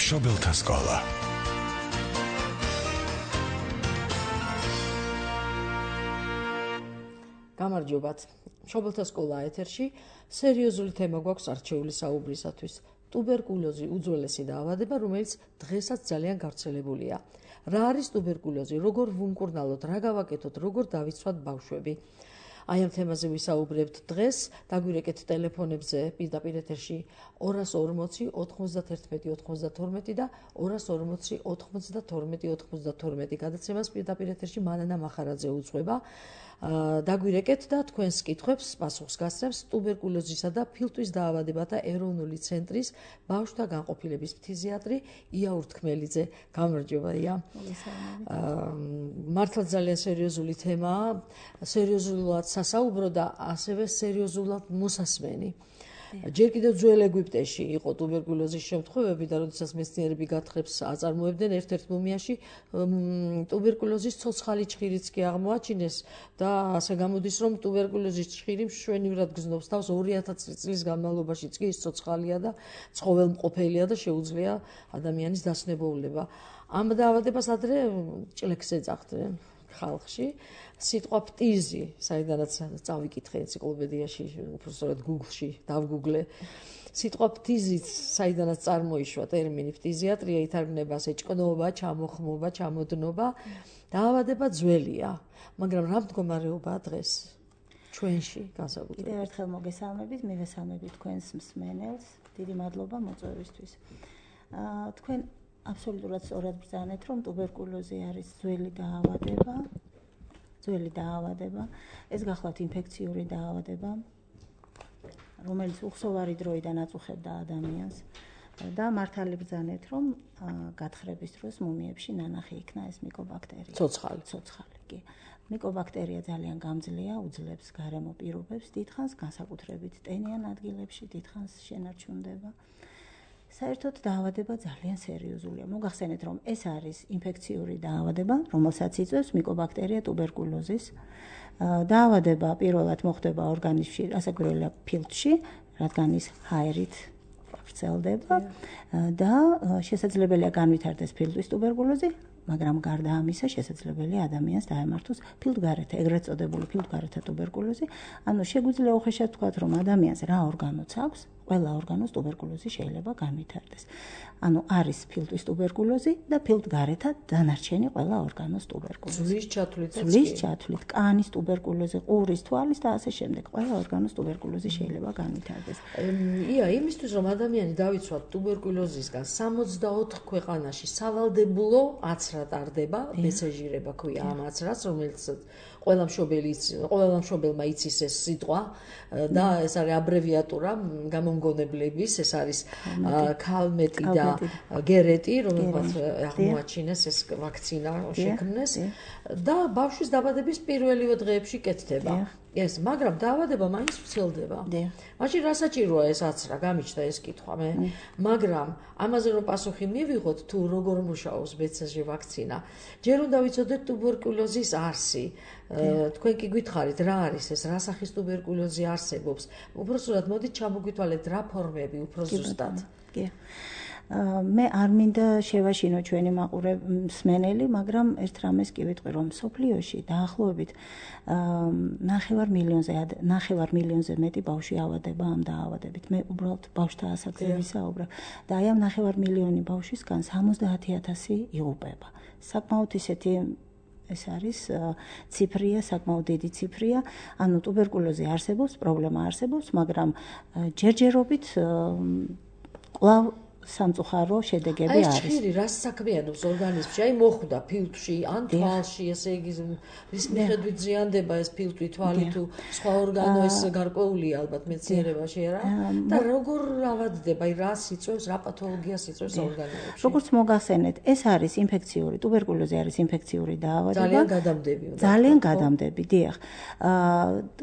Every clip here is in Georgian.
მშობელთა სკოლა. გამარჯობათ. მშობელთა სკოლა ეთერში სერიოზული თემა გვაქვს არჩეული საუბრისათვის. ტუბერკულოზი უძველესი დაავადება, რომელიც დღესაც ძალიან გავრცელებულია. რა არის ტუბერკულოზი, როგორ ვუმკურნალოთ, რა გავაკეთოთ, როგორ დავიცვათ ბავშვები. აი ამ თემაზე ვისაუბრებთ დღეს, დაგვირეკეთ ტელეფონებზე პირდაპირ ეთერში 240 91 92 და 240 92 92 გადაცემას პირდაპირ ეთერში მანანა მახარაძე უძღვება. დაგვირეკეთ და თქვენს კითხვებს პასუხს გასცემს ტუბერკულოზისა და ფილტვის დაავადებათა ეროვნული ცენტრის ბავშვთა განყოფილების ფთიზიატრი ია ურთქმელიძე. გამარჯობა ია. მართლა ძალიან სერიოზული თემაა, სერიოზულად სასაუბრო და ასევე სერიოზულად მოსასმენი. ჯერ კიდევ ძველ ეგვიპტეში იყო ტუბერკულოზის შემთხვევები და როდესაც მეცნიერები გათხრებს აწარმოებდნენ, ერთ-ერთ მუმიაში ტუბერკულოზის ცოცხალი ჩხირიც კი აღმოაჩინეს და ასე გამოდის, რომ ტუბერკულოზის ჩხირი მშვენივრად გზნობს თავს 2000 წლის განმავლობაშიც კი ის ცოცხალია და ცხოველმყოფელია და შეუძლია ადამიანის დასნებოვნება. ამ დაავადებას ადრე ჭლექს ეძახდნენ ხალხში. სიტყვა ფტიზი, საიდანაც წავიკითხე ენციკლოპედიაში, უბრალოდ Google-ში დავგუგლე. სიტყვა ფტიზიც საიდანაც წარმოიშვა ტერმინი ფთიზიატრია, ითარგმნება ასე ჭკნობა, ჩამოხმობა, ჩამოდნობა. დაავადება ძველია, მაგრამ რა მდგომარეობაა დღეს ჩვენში განსაკუთრებით? კიდევ ერთხელ მოგესალმებით, მივესალმებით თქვენს მსმენელს. დიდი მადლობა მოწვევისთვის. თქვენ აბსოლუტურად სწორად ბრძანეთ, რომ ტუბერკულოზი არის ძველი დაავადება, ეს გახლავთ ინფექციური დაავადება, რომელიც უხსოვარი დროიდან აწუხებდა ადამიანს და მართალი ბრძანეთ, რომ გათხრების დროს მუმიებში ნანახი იქნა ეს მიკობაქტერია. ცოცხალი, კი. მიკობაქტერია ძალიან გამძლეა, უძლებს გარემო პირობებს, დიდხანს განსაკუთრებით ტენიან ადგილებში, დიდხანს შენარჩუნდება. საერთოდ დაავადება ძალიან სერიოზულია. მოგახსენეთ, რომ ეს არის ინფექციური დაავადება, რომელსაც იწვევს მიკობაქტერია ტუბერკულოზის. დაავადება პირველად მოხდება ორგანიზმში, ასაკურველია ფილტვში, რადგან ის ჰაერით ვრცელდება და შესაძლებელია განვითარდეს ფილტვის ტუბერკულოზი, მაგრამ გარდა ამისა შესაძლებელია ადამიანს დაემართოს ფილტვგარეთა, ეგრეთ წოდებული ფილტვგარეთა ტუბერკულოზი. ანუ შეგვიძლია უხეშად ვთქვათ, რომ ადამიანს რა ორგანოც აქვს, ყველა ორგანოს ტუბერკულოზი შეიძლება განვითარდეს. ანუ არის ფილტვის ტუბერკულოზი და ფილტვგარეთა დანარჩენი ყველა ორგანოს ტუბერკულოზი. ძვლის ჩათვლით, კანის ტუბერკულოზი, ყურის, თვალის და ასე შემდეგ. ყველა ორგანოს ტუბერკულოზი შეიძლება განვითარდეს. ია, იმისთვის რომ ადამიანი დავიცვათ ტუბერკულოზისგან 64 ქვეყანაში სავალდებულო აცრა ტარდება, მესეჟირება ქვია ამ აცრას, რომელიც ყველა მშობელმა იცის ეს სიტყვა და ეს არის აბრევიატურა გამომგონებლების, ეს არის ქალმეტი და გერეტი, რომელსაც აღმოაჩინეს ეს ვაქცინა შექმნეს და ბავშვის დაბადების პირველივე დღეებში კეთდება. მაგრამ დაავადება მაინც ვრცელდება. მაშინ რა საჭიროა ეს აცრა? გამიჩნდა ეს კითხვა მე. მაგრამ ამაზე რომ პასუხი მივიღოთ, თუ როგორ მუშაობს BCG ვაქცინა, ჯერ უნდა ვიცოდეთ ტუბერკულოზის არსი. თქვენ კი გითხარით, რა არის ეს, რა სახის ტუბერკულოზი არსებობს. უბრალოდ მოდით ჩამოგვითვალეთ რა ფორმები უფრო ზუსტად. მე არ მინდა შევაშინო ჩვენი მსმენელი, მაგრამ ერთ რამეს კი ვიტყვი, რომ მსოფლიოში დაახლოებით 9 მილიონზე მეტი ბავშვი ავადება ამ დაავადებით. მე უბრალოდ ბავშვთა ასაკზე ვისაუბრებ და აი ამ 9 მილიონი ბავშვისგან 70,000 იღუპება. საკმაოდ ისეთი ეს არის ციფრია, საკმაოდ დიდი ციფრია. ანუ ტუბერკულოზი არსებობს, პრობლემა არსებობს, მაგრამ ჯერჯერობით კვლავ სამწუხარო შედეგები არის. ეს ჩხირი რას საქმიანობს ორგანიზმში? აი მოხვდა ფილტვში, ან თვალში, ესე იგი რის მიხედვით ზიანდება ეს ფილტვი, თვალი თუ სხვა ორგანო, ეს გარკვეულია ალბათ მეცნიერებაში რა? და როგორ ავადდება? აი რას იწვევს, რა პათოლოგიას იწვევს ორგანოებში? როგორც მოგახსენეთ, ეს არის ინფექციური, ტუბერკულოზი არის ინფექციური დაავადება. ძალიან გადამდები. ძალიან გადამდები, დიახ.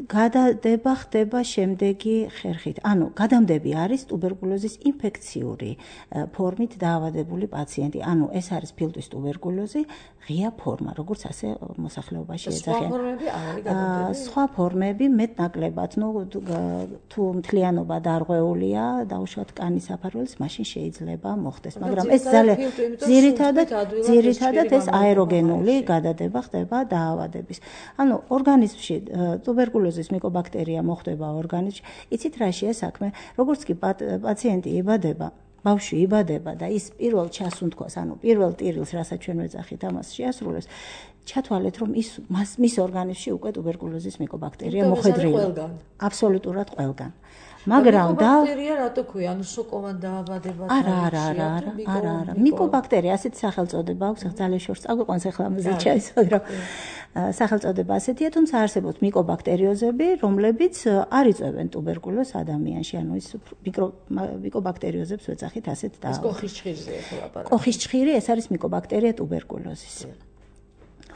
გადადება ხდება შემდეგი ხერხით. ანუ გადამდები არის ტუბერკულოზის ინფექციური ფორმით დაავადებული პაციენტი. ანუ ეს არის ფილტვის ტუბერკულოზი, ღია ფორმა, როგორც ასე მოსახლეობაში ეძახიან. სხვა ფორმები მეტნაკლებად, თუ მთლიანობა დარღვეულია, დაუშვათ კანის საფარველის, მაშინ შეიძლება მოხდეს, მაგრამ ეს ძალიან ძირითადად ეს აეროგენული გადადება ხდება დაავადების. ანუ ორგანიზმში ტუბერკულოზის მიკობაქტერია მოხვდება ორგანიზმში. იცით რა შეა საქმე? როგორც კი პაციენტი იბადება, ბავშვი იბადება და ის პირველ ჩასუნთქვას, ანუ პირველ ტირილს, რასაც ჩვენ ვეძახით, ამას შეასრულებს, ჩათვალეთ, რომ მის ორგანიზმში უკვე ტუბერკულოზის მიკობაქტერია მოხვედრილია. აბსოლუტურად ყველგან. მაგრამ მიკობაქტერია რატო ქვია? ანუ სოკოვან დაავადება არა. მიკობაქტერია ასეთ სახელწოდება აქვს, ძალიან შორს წაგვიყვანს ახლა ამაზე ჩაისვათ, რომ სახელწოდება ასეთია, თუმცა არსებობს მიკობაქტერიოზები, რომლებიც არ იწვევენ ტუბერკულოზს ადამიანში, ანუ ის მიკობაქტერიოზებს ვეძახით ასეთ და ეს კოხის ჭხირზეა ხო ლაპარაკი? კოხის ჭხირი ეს არის მიკობაქტერია ტუბერკულოზის.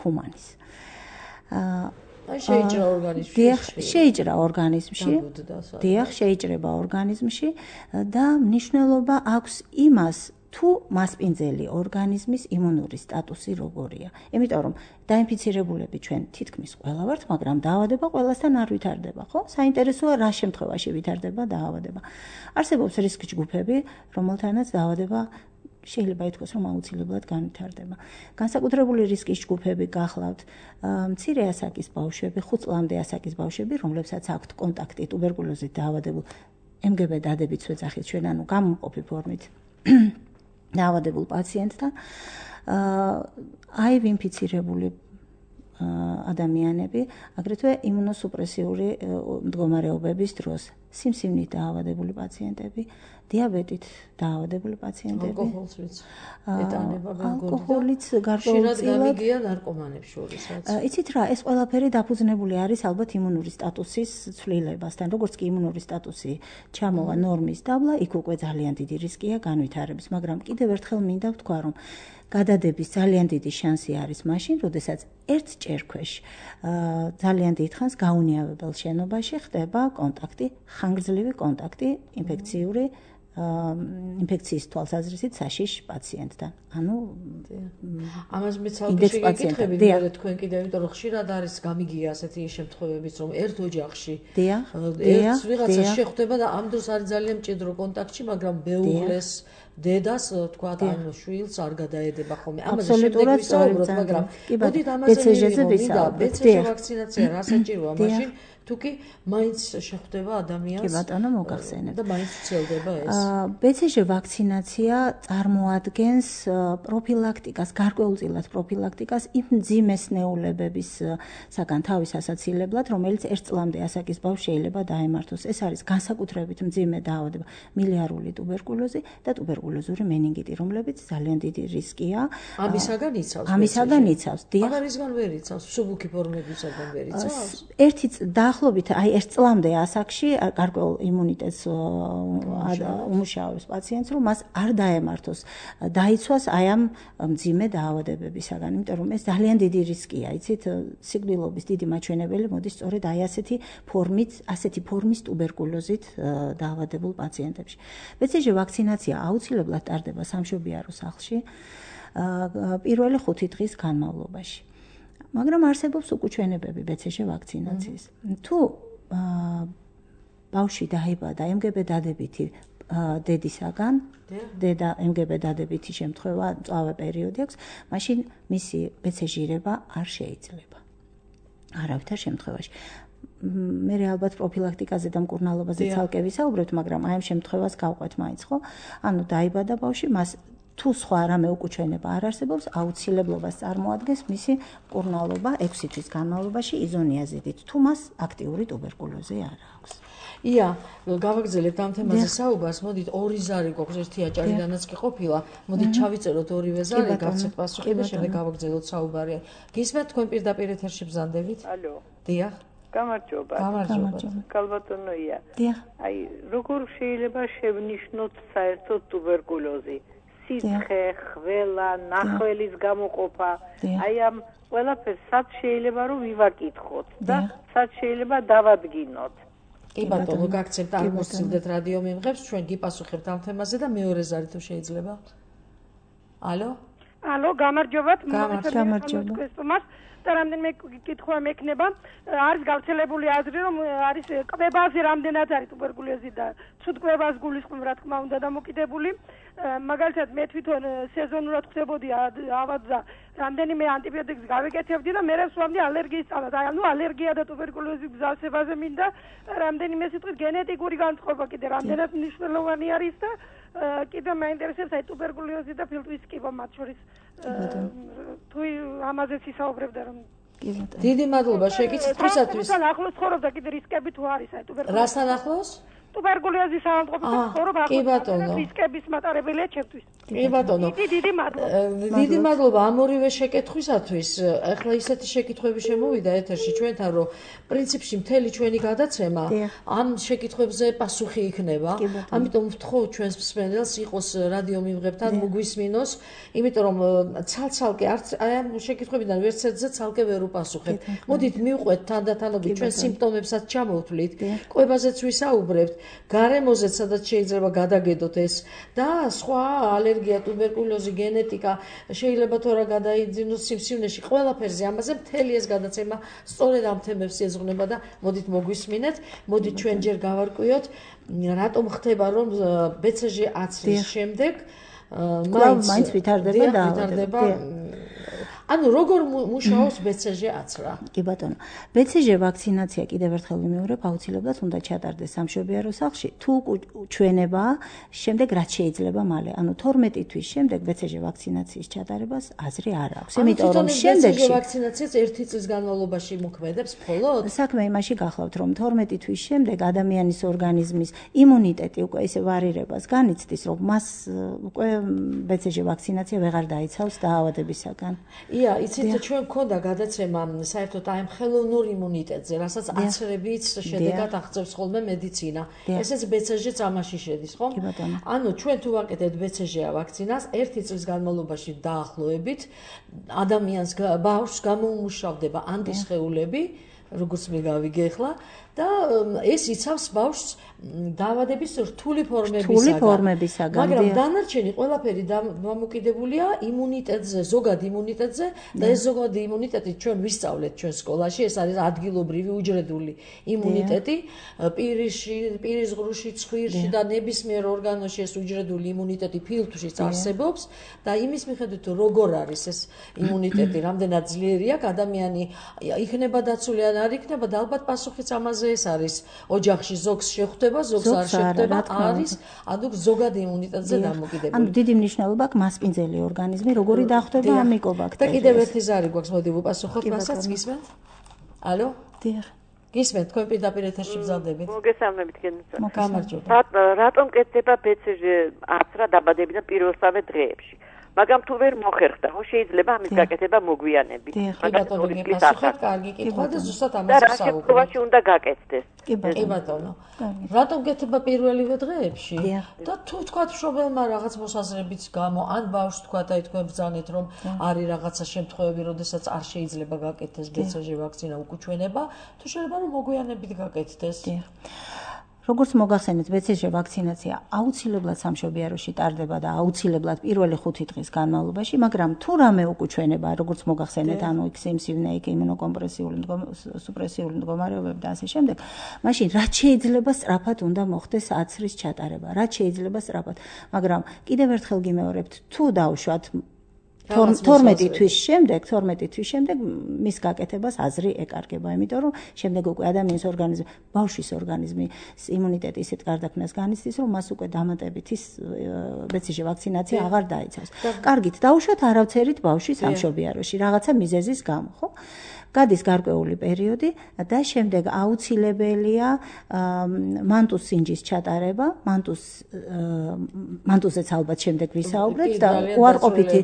ჰუმანის. შეიჭრა ორგანიზმში. შეიჭრა ორგანიზმში. დიახ, შეიჭრება ორგანიზმში და მნიშვნელობა აქვს იმას, თუ მასპინძელი ორგანიზმის იმუნური სტატუსი როგორია. იმიტომ რომ დაინფიცირებულები ჩვენ თითქმის ყველა ვართ, მაგრამ დაავადება ყველასთან არ ვითარდება, ხო? საინტერესოა რა შემთხვევაში ვითარდება დაავადება. არსებობს რისკ ჯგუფები, რომელთანაც დაავადება შეიძლება ითქვას, რომ აუცილებლად განვითარდება. განსაკუთრებული რისკის ჯგუფები გახლავთ მცირე ასაკის ბავშვები, 5 წლამდე ასაკის ბავშვები, რომლებსაც აქვთ კონტაქტი ტუბერკულოზით დაავადებულ MGB დადებიც ვეძახით ჩვენ, ანუ გამომყოფი ფორმით დაავადებულ პაციენტთან, HIV ინფიცირებული ადამიანები, აგრეთვე იმუნოსუპრესიული მდგომარეობების დროს, სიმსივნით დაავადებული პაციენტები, დიაბეტით დაავადებული პაციენტები, ალკოჰოლიც გარკვეულწილად გამიგია ნარკომანებს შორისაც. იცით რა, ეს ყველაფერი დაფუძნებული არის ალბათ იმუნური სტატუსის ცვლილებასთან. როგორც კი იმუნური სტატუსი ჩამოვა ნორმის დაბლა, იქ უკვე ძალიან დიდი რისკია განვითარების, მაგრამ კიდევ ერთხელ მინდა ვთქვა, რომ გადადების ძალიან დიდი შანსი არის მაშინ, როდესაც ერთ ჭერქვეშ ძალიან დიდ ხანს გაუნიავებელ შენობაში ხდება კონტაქტი, ხანგრძლივი კონტაქტი ინფექციის თვალსაზრისით საშიშ პაციენტთან. ანუ ამას მე ცალკე შეგეკითხები, მე თქვენ კიდევ, იმიტომ რომ ხშირად არის გამიგია ასეთი შემთხვევებიც, რომ ერთ ოჯახში ერთ ვიღაცა შეხვდება და ამ დროს არის ძალიან მჭიდრო კონტაქტში, მაგრამ მეუღლეს დედას თქვა ან შვილს არ გადაედება ხოლმე. ამაზე შემდეგ ვისაუბროთ, მაგრამ მოდით ამაზე მივიღო, BCG ვაქცინაცია რა საჭიროა მაშინ, თუკი მაინც შეხვდება ადამიანს. კი ბატონო, მოგახსენებ. და მაინც ცელდება ეს. BCG ვაქცინაცია წარმოადგენს პროფილაქტიკას, გარკვეულწილად პროფილაქტიკას იმ მძიმესნეულებებისაგან თავის ასაცილებლად, რომელიც 1 წლამდე ასაკის ბავშვს შეიძლება დაემართოს. ეს არის განსაკუთრებით მძიმე დაავადება, მილიარული ტუბერკულოზი და ტუბერკულოზური meningiti, რომლებიც ძალიან დიდი რისკია. ამისაგან იცავს. ამისაგან იცავს. დიახ. ამისგან ვერ იცავს, მსუბუქი ფორმებისაგან ვერ იცავს. ერთი დაახლოებით აი 1 წლამდე ასაკში გარკვეულ იმუნიტეტს უმუშავებს პაციენტს, რომ მას არ დაემართოს, დაიცვას აი ამ მძიმე დაავადებებისაგან, იმიტომ რომ ეს ძალიან დიდი რისკია, იცით, სიკვდილობის დიდი მაჩვენებელი მოდის სწორედ აი ასეთი ფორმის ტუბერკულოზით დაავადებულ პაციენტებში. BCG ვაქცინაცია აუცილებლად ტარდება სამშობიარო სახლში პირველი 5 დღის განმავლობაში. მაგრამ არსებობს უკუჩვენებები BCG ვაქცინაციის. თუ ბავშვი დაიბადა MGB დადებითი დედისაგან, დედა MGB დადებითი შემთხვევა, მწვავე პერიოდი აქვს, მაშინ მისი BCG-რება არ შეიძლება. არავითარ შემთხვევაში. მე ალბათ პროფილაქტიკაზე და მკურნალობაზე ცალკე ვისაუბრებთ, მაგრამ აი ამ შემთხვევას გავყვეთ მაინც, ხო? ანუ დაიბადა ბავშვი, მას თუ სხვა რამე უკუჩვენება არ არსებობს, აუცილებლობას წარმოადგენს მისი მკურნალობა 6 თვის განმავლობაში იზონიაზიდით, თუ მას აქტიური ტუბერკულოზი არ აქვს. ია, გავაგრძელებთ ამ თემაზე საუბარს, მოდით ორი ზარი გვაქვს, ერთი აჭარიდანაც კი ყოფილა, მოდით ჩავიწეროთ ორივე ზარი, გავცეთ პასუხი და შემდეგ გავაგრძელოთ საუბარი. გისმენთ თქვენ პირდაპირ ეთერში ბრძანდებით? ალო. დიახ. გამარჯობა. კალბატონოია. დიახ. აი, როგორ შეიძლება შევნიშნოთ საერთოდ ტუბერკულოზი? სიცხე, ხველა, ნახველის გამოყოფა. აი ამ ყველაფერს სად შეიძლება რომ ვივაკითხოთ და სად შეიძლება დავადგინოთ? კი ბატონო, გაგცემთ აღმოსცილდეთ რადიო მიმღებს, ჩვენ გიპასუხებთ ამ თემაზე და მეორე ზარი თუ შეიძლება. ალო? ალო, გამარჯობათ. გამარჯობა. და რამდენიმე კითხვა მექნება, არის გავრცელებული აზრი, რომ არის კვებაზე რამდენად არის ტუბერკულოზი და ცუდ კვებას გულისხმობ, რა თქმა უნდა, დამოკიდებული. მაგალითად, მე თვითონ სეზონურად ხდებოდი ავადდა, რამდენიმე ანტიბიოტიკს გავეკეთებდი და მე ვსვამდი ალერგიის წამად. ანუ ალერგია და ტუბერკულოზი გზავსებაზე მინდა რამდენიმე სიტყვით გენეტიკური განწყობა კიდე რამდენად მნიშვნელოვანი არის და კიდე მაინტერესებს აი ტუბერკულოზი და ფილტვის კიბო მათ შორის თუ ამაზეც ისაუბრებდა რომ დიდი მადლობა შეკითხვისათვის. რასთან ახლოს ცხოვრობდა კიდე რისკები თუ არის აი ტუბერკულოზი? რასთან ახლოს? ტუბერკულოზის ავადმყოფობასთან ცხოვრობა ახლოს რისკების მატარებელია ჩემთვის. კი ბატონო. დიდი მადლობა. დიდი მადლობა ამ ორივე შეკითხვისათვის. ახლა ისეთი შეკითხვები შემოვიდა ეთერში ჩვენთან, რომ პრინციპში მთელი ჩვენი გადაცემა ამ შეკითხვებზე პასუხი იქნება. ამიტომ ვთხოვ ჩვენს მსმენელს იყოს რადიო მიმღებთან მოგვისმინოს, იმიტომ რომ ცალ-ცალკე არც აი ამ შეკითხვებიდან ვერც ერთზე ცალკე ვერ უპასუხებ. მოდით მივყვეთ თანდათანობით ჩვენ სიმპტომებსაც ჩამოვთვლით, კვებაზეც ვისაუბრებთ, გარემოზეც სადაც შეიძლება გადაგედოთ ეს და სხვა ალერგია, ტუბერკულოზი, გენეტიკა, შეიძლება თუ რა გადაიძინოს სიმსივნეში, ყველაფერზე ამაზე მთელი ეს გადაცემა სწორედ ამ თემებს ეძღვნება და მოდით მოგვისმინეთ, მოდით ჩვენ ჯერ გავარკვიოთ, რატომ ხდება რომ BCG აცრის შემდეგ მაინც ვითარდება ანუ როგორ მუშაობს BCG აცრა? კი ბატონო. BCG ვაქცინაცია კიდევ ერთხელ ვიმეორებ, აუცილებლად უნდა ჩატარდეს სამშობიარო სახლში. თუ ჩვენება, შემდეგ რაც შეიძლება მალე. ანუ 12 თვის შემდეგ BCG ვაქცინაციის ჩატარებას აზრი არ აქვს. იმიტომ რომ შემდეგში BCG ვაქცინაციას 1 წლის განმავლობაში მოქმედებს მხოლოდ? საქმე იმაში გახლავთ, რომ 12 თვის შემდეგ ადამიანის ორგანიზმის იმუნიტეტი უკვე ისე ვარირებას განიცდის, რომ მას უკვე BCG ვაქცინაცია ვეღარ დაიცავს დაავადებისაგან. იცით ჩვენ გქონდა გადაცემა საერთოდ აი ხელოვნურ იმუნიტეტზე, რასაც აცრებით შედეგად აღწევს ხოლმე მედიცინა. ესეც BCG-ც ამაში შედის, ხო? ანუ ჩვენ თუ ვაკეთებთ BCG ვაქცინას 1 წლის განმავლობაში დაახლოებით ადამიანს ბავშვს გამოუმუშავდება ანტისხეულები, როგორც მე გავიგე ახლა და ეს იცავს ბავშვს დაავადების რთული ფორმებისაგან. მაგრამ დანარჩენი ყველაფერი დამოკიდებულია იმუნიტეტზე, ზოგად იმუნიტეტზე და ეს ზოგადი იმუნიტეტი ჩვენ ვისწავლეთ ჩვენ სკოლაში, ეს არის ადგილობრივი უჯრედული იმუნიტეტი, პირის ღრუში, ცხვირში და ნებისმიერ ორგანოში ეს უჯრედული იმუნიტეტი ფილტვშიც არსებობს და იმის მიხედვით როგორ არის ეს იმუნიტეტი, რამდენად ძლიერია, ადამიანი იქნება დაცული ან არ იქნება და ალბათ პასუხიც ამაზე ეს არის. ოჯახში ზოგს შეხვდება, ზოგს არ შეხვდება, არის ანუ ზოგად იმუნიტეტზე დამოკიდებული. ანუ დიდი მნიშვნელობა აქვს მასპინძელი ორგანიზმი, როგორი დახვდება ამ მიკობაქტერიას. და კიდევ ერთი ზარი გვაქვს, მოდი ვუპასუხოთ მასაც, გისმენთ? ალო? დიახ. გისმენთ, თქვენ პირდაპირ ეთერში მგზავრდებით. მოგესალმებით გენიცა. გამარჯობა. რატომ კეთდება BCG აცრა დაბადებიდან პირველსავე დღეებში? მაგრამ თუ ვერ მოხერხდა, ხო შეიძლება ამის გაკეთება მოგვიანებით. ბატონო, გიპასუხეთ, კარგი კითხვა და ზუსტად ამაზე ვსაუბრობთ. რა შემთხვევაში უნდა გაკეთდეს? კი ბატონო. რატომ კეთდება პირველივე დღეებში? და თუ თქვა მშობელმა რაღაც მოსაზრებით გამო, ან ბავშვს თქვა და თქვენ ბრძანეთ, რომ არის რაღაცა შემთხვევები, როდესაც არ შეიძლება გაკეთდეს BCG ვაქცინა უკუჩვენება, თუ შეიძლება რომ მოგვიანებით გაკეთდეს. როგორც მოგახსენეთ, BCG ვაქცინაცია აუცილებლად სამშობიაროში ტარდება და აუცილებლად პირველი 5 დღის განმავლობაში, მაგრამ თუ რამე უკუჩვენება, როგორც მოგახსენეთ, ანუ სიმსივნე, იმუნოკომპრესიული, სუპრესიული მდგომარეობები და ასე შემდეგ, მაშინ რაც შეიძლება სწრაფად უნდა მოხდეს აცრის ჩატარება, რაც შეიძლება სწრაფად. მაგრამ კიდევ ერთხელ გიმეორებთ, თუ დავშვათ 12 თვის შემდეგ მის გაკეთებას აზრი ეკარგება, იმიტომ რომ შემდეგ უკვე ადამიანის ორგანიზმი, ბავშვის ორგანიზმის იმუნიტეტი ისეთ გარდაქმნას განიცდის, რომ მას უკვე დამატებით ის BCG ვაქცინაცია აღარ დაიცავს. კარგით, დაუშვათ არავცერით ბავშვი სამშობიაროში, რაღაცა მიზეზის გამო, ხო? გადის გარკვეული პერიოდი და შემდეგ აუცილებელია მანტუს სინჯის ჩატარება, მანტუსზეც ალბათ შემდეგ ვისაუბრეთ და უარყოფითი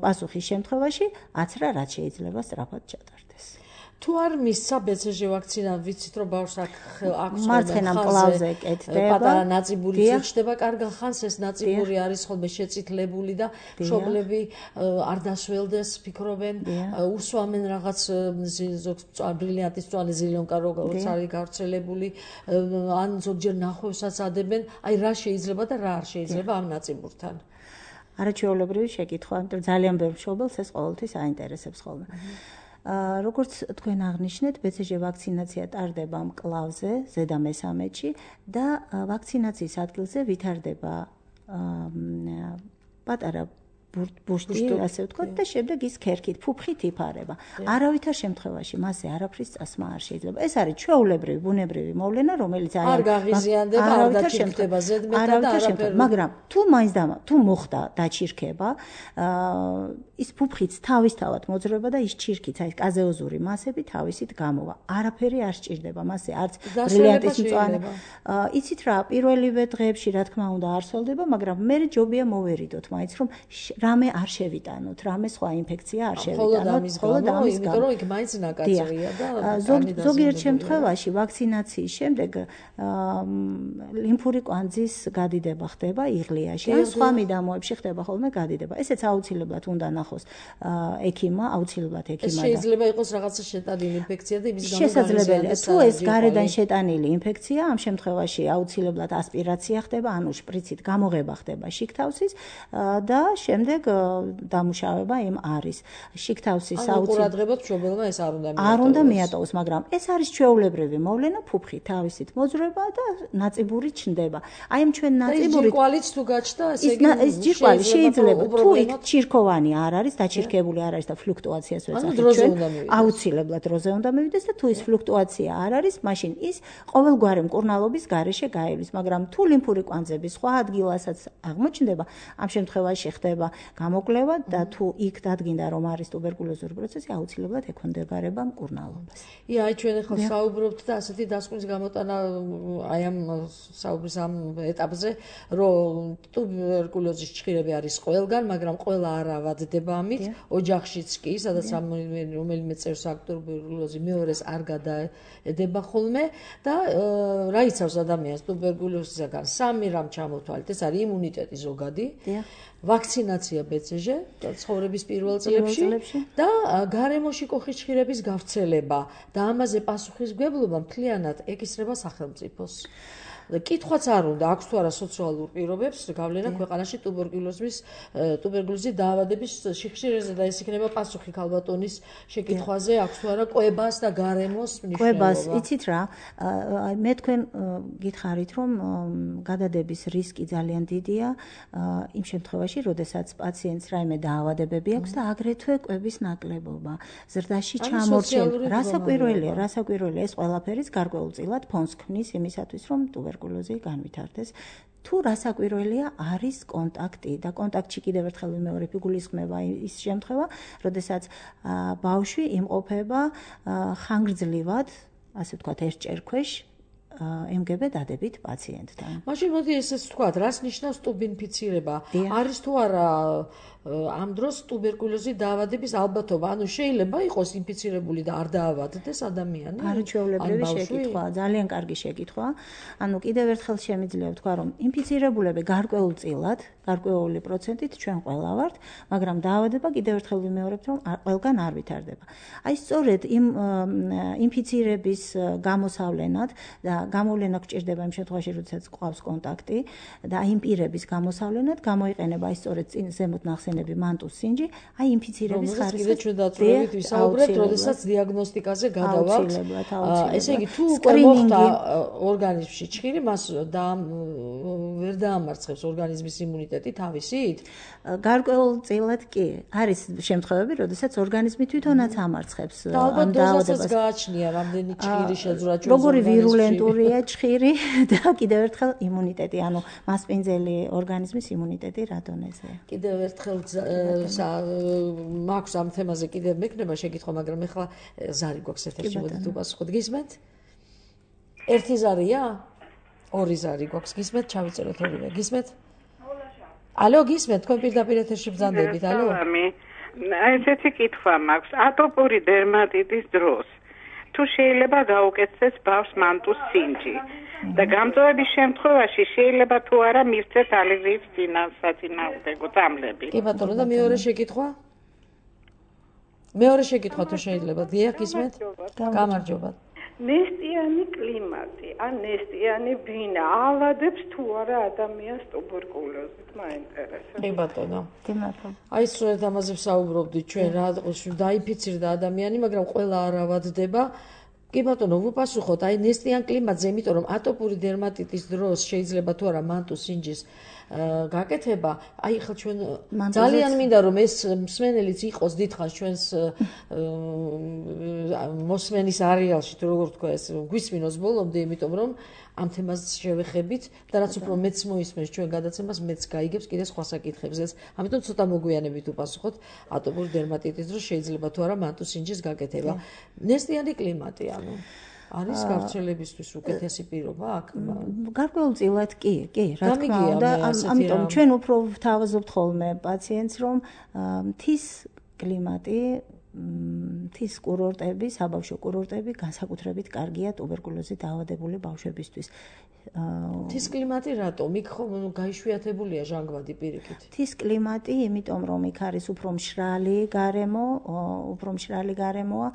პასუხის შემთხვევაში აცრა რაც შეიძლება სწრაფად ჩატარდეს. თუ არ მისცა BCG ვაქცინა, ვიცით რომ ბავშვს აქვს მარცხენა მკლავზე კეთდება. პატარა ნაწიბურიც უჩნდება კარგ ხანს, ეს ნაწიბური არის ხოლმე შეწითლებული და მშობლები არ დასველდეს, ფიქრობენ, უსვამენ რაღაც ბრილიანტის მწვანე ზილიონკა როგორც არის გავრცელებული, ან ზოგჯერ ნახვევსაც ადებენ, აი რა შეიძლება და რა არ შეიძლება ამ ნაწიბურთან. არაჩვეულებრივი შეკითხვა, იმიტომ ძალიან ბევრ მშობელს ეს ყოველთვის აინტერესებს ხოლმე. როგორც თქვენ აღნიშნეთ, BCG ვაქცინაცია ტარდება მკლავზე, ზედა მესამედში და ვაქცინაციის ადგილზე ვითარდება პატარა ბუშტი, ასე ვთქვათ, და შემდეგ ის ქერქით, ფუფხით იფარება. არავითარ შემთხვევაში მასზე არაფრის წასმა არ შეიძლება. ეს არის ჩვეულებრივი, ბუნებრივი მოვლენა, რომელიც არ გაღიზიანდება, არ დაჩირქება ზედმეტად და არაფერ. მაგრამ თუ მაინც თუ მოხდა დაჩირქება, ის ფუფხიც თავისთავად მოძრაობა და ის ჩირქიც, აი კაზეოზური მასები თავისით გამოვა. არაფერი არ სჭირდება მასზე, არც ბრილიანტის მწვანე. იცით რა, პირველივე დღეებში რა თქმა უნდა არ სოლდება, მაგრამ მე ჯობია მოვერიდოთ მაინც რომ რამე არ შევიტანოთ, რამე სხვა ინფექცია არ შევიტანოთ, ხოლოდ ამის გამო, იმიტომ რომ იქ მაინც ნაკაწრია და ზოგიერთ შემთხვევაში ვაქცინაციის შემდეგ ლიმფური კვანძის გადიდება ხდება იღლიაში, ან სხვა მიდამოებში ხდება ხოლმე გადიდება. ესეც აუცილებლად უნდა ნახოს ექიმმა, აუცილებლად ექიმმა. შეიძლება იყოს რაღაცა შეტანილი ინფექცია და იმის გამო შესაძლებელია, თუ ეს გარედან შეტანილი ინფექცია, ამ შემთხვევაში აუცილებლად ასპირაცია ხდება, ანუ შპრიცით გამოღება ხდება შიგთავსის და შემდეგ დამუშავება იმ არის. შიგთავსის აუცილებლად მშობელმა ეს არ უნდა მიატოვოს, მაგრამ ეს არის ჩვეულებრივი მოვლენა, ფუფხი თავისით მოძრაობა და ნაწიბური ჩნდება. აი ამ ჩვენ ნაწიბურით ჯირკვალიც თუ გაჩნდა, ესე იგი ეს ჯირკვალი შეიძლება თუ იქ ჩირქოვანი არ არის, დაჩირქებული არ არის და ფლუქტუაციას ვეძახით ჩვენ, აუცილებლად დროზე უნდა მივიდეს და თუ ის ფლუქტუაცია არ არის, მაშინ ის ყოველგვარი მკურნალობის გარეშე გაივლის, მაგრამ თუ ლიმფური კვანძები სხვა ადგილასაც აღმოჩნდება, ამ შემთხვევაში ხდება გამოკვლევა და თუ იქ დადგინდა რომ არის ტუბერკულოზური პროცესი, აუცილებლად ექვემდებარება მკურნალობას. აი ჩვენ ახლა საუბრობთ და ასეთი დასკვნის გამოტანა აი ამ საუბრის ამ ეტაპზე, რომ ტუბერკულოზის ჩხირები არის ყველგან, მაგრამ ყველა არ ავადდება ამით, ოჯახშიც კი, სადაც რომელიმე წევრს აქვს ტუბერკულოზი, მეორეს არ გადაედება ხოლმე და რა იცავს ადამიანს ტუბერკულოზისგან? სამი რამ ჩამოთვალეთ, ეს არის იმუნიტეტი ზოგადი, ვაქცინაცია BCG ცხოვრების პირველ წლებში და გარემოში კოხის ჩხირების გავრცელება და ამაზე პასუხისმგებლობა მთლიანად ეკისრება სახელმწიფოს. კითხვაც არ უნდა, აქვს თუ არა სოციალურ პირობებს გავლენა ქვეყანაში ტუბერკულოზის დაავადების სიხშირეზე და ეს იქნება პასუხი ქალბატონის შეკითხვაზე, აქვს თუ არა კვებას და გარემოს მნიშვნელობა. კვებას, იცით რა, მე თქვენ გითხარით, რომ გადადების რისკი ძალიან დიდია იმ შემთხვევაში, როდესაც პაციენტს რაიმე დაავადებები აქვს და აგრეთვე კვების ნაკლებობა. ზრდაში ჩამორჩენა, რასაკვირველია, ეს ყველაფერის გარკვეულწილად ფონს ქმნის იმისათვის, რომ ტუბერკულოზი განვითარდეს. თუ რასაკვირველია არის კონტაქტი და კონტაქტში კიდევ ერთხელ ვიმეორებ, იგულისხმება ის შემთხვევა, როდესაც ბავშვი იმყოფება ხანგრძლივად, ასე ვთქვათ, ერთ ჭერქვეშ MGB დადებით პაციენტთან. მაშინ მოდი ესეც ვთქვათ, რას ნიშნავს ტუბინფიცირება? არის თუ არა ამ დროს ტუბერკულოზი დაავადების ალბათობა, ანუ შეიძლება იყოს ინფიცირებული და არ დაავადდეს ადამიანი? არაჩვეულებრივი შეკითხვა, ძალიან კარგი შეკითხვა. ანუ კიდევ ერთხელ შემიძლია ვთქვა, რომ ინფიცირებულები გარკვეულწილად, გარკვეული პროცენტით ჩვენ ყველა ვართ, მაგრამ დაავადება კიდევ ერთხელ ვიმეორებთ, რომ ყველგან არ ვითარდება. აი სწორედ იმ ინფიცირების გამოსავლენად და გამოვლენა გჭირდება იმ შემთხვევაში, როდესაც ყავს კონტაქტი და იმ პირების გამოსავლენად გამოიყენება აი სწორედ ზემოთ ნახსენები მანტუს სინჯი, აი ინფიცირების ხარისხი. კიდე ჩვენ დაწვრილებით ვისაუბრებთ, როდესაც დიაგნოსტიკაზე გადავალთ. ესე იგი, თუ მოხდა ორგანიზმში ჩხირი, მას ვერ დაამარცხებს ორგანიზმის იმუნიტეტი თავისით? გარკვეულწილად კი. არის შემთხვევები, როდესაც ორგანიზმი თვითონაც ამარცხებს ამ დაავადებას. გააჩნია რამდენი ჩხირი შეძრა ჩვენს როგორი ვირულენტურია ჩხირი და კიდევ ერთხელ იმუნიტეტი, ანუ მასპინძელი ორგანიზმის იმუნიტეტი რა დონეზეა. კიდევ ერთხელ მაქვს ამ თემაზე კიდევ მექნება შეკითხვა, მაგრამ ეხლა ზარი გვაქვს ერთ-ერთი მოდით უპასუხოთ. გისმენთ? ერთი ზარია? ორი ზარი გვაქვს. გისმენთ? ჩავიწეროთ ორივე. გისმენთ? ალო, გისმენთ? თქვენ პირდაპირ ეთერში ბრძანდებით, ალო? ესეთი კითხვა მაქვს. ატოპური დერმატიტის დროს თუ შეიძლება გაუკეთდეს ბავშვს მანტუს სინჯი და გამწვევების შემთხვევაში შეიძლება თუ არა მივცეთ ალერგიის საწინააღმდეგო წამლები. კი ბატონო და მეორე შეკითხვა თუ შეიძლება დიახ ისმეთ გამარჯობა. ნესტიანი კლიმატი ან ნესტიანი ბინა ავადებს თუ არა ადამიანს ტუბერკულოზით მაინტერესებს. კი ბატონო. კი მართლა. აი სწორედ ამაზე ვსაუბრობდით ჩვენ რა დაიფიცირდა ადამიანი, მაგრამ ყველა არ ავადდება. კი ბატონო, ვუპასუხოთ, აი ნესტიან კლიმატზე, იმიტომ რომ ატოპური დერმატიტის დროს შეიძლება თუ არა მანტუს სინჯის გაკეთება, აი ხა ჩვენ ძალიან მინდა რომ ეს მსმენელიც იყოს დიდხანს ჩვენს მოსმენის არეალში, თუ როგორ თქვა ეს გვისმინოს ბოლომდე, იმიტომ რომ ამ თემას შევეხებით და რაც უფრო მეც მოისმენს ჩვენ გადაცემას, მეც გაიგებს კიდე სხვა საკითხებზე. ამიტომ ცოტა მოგვიანებით ვუპასუხოთ ატოპური დერმატიტის დროს შეიძლება თუ არა მანტუს სინჯის გაკეთება. ნესტიანი კლიმატი, ანუ არის გავრცელებისთვის უკეთესი პირობა აქ? გარკვეულწილად კი, რა თქმა უნდა, ამიტომ ჩვენ უფრო ვთავაზობთ ხოლმე პაციენტს, რომ მთის კლიმატი, მთის კურორტები, საბავშვო კურორტები განსაკუთრებით კარგია ტუბერკულოზით დაავადებული ბავშვებისთვის. მთის კლიმატი რატომ? იქ ხომ გაიშვიათებულია ჟანგბადი პირიქით? მთის კლიმატი, იმიტომ რომ იქ არის უფრო მშრალი გარემოა,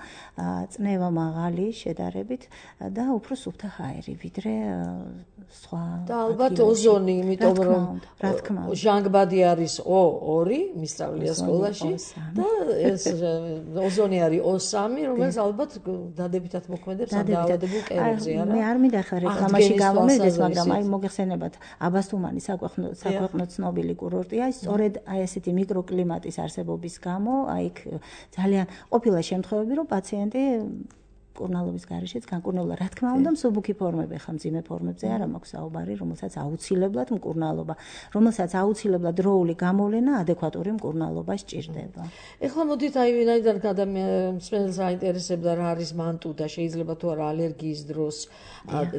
წნევა მაღალი შედარებით და უფრო სუფთა ჰაერი, ვიდრე სხვა. და ალბათ ოზონი, იმიტომ რომ ჟანგბადი არის O2, მისწავლია სკოლაში და ეს ოზონი არის O3, რომელიც ალბათ დადებითად მოქმედებს ამ დაავადებულ კერებზე, არა? მე არ მინდა ხარ რეკლამაში გავამეძდეს, მაგრამ აი მოგეხსენებათ აბასთუმანი საქვეყნო ცნობილი კურორტია, სწორედ აი ესეთი მიკროკლიმატის არსებობის გამო, აი იქ ძალიან ყოფილა შემთხვევები, რომ პაციენტი კურნალობის გარეშეც განკურნებულა. რა თქმა უნდა, მსუბუქი ფორმები ხა მძიმე ფორმებზე არ მაქვს საუბარი, რომელსაც აუცილებლად მკურნალობა, რომელსაც აუცილებლად დროული გამოვლენა ადეკვატური მკურნალობა სჭირდება. ეხლა მოდით აი ვინაიდან მსმენელს აინტერესებდა რა არის მანტუ და შეიძლება თუ არა ალერგიის დროს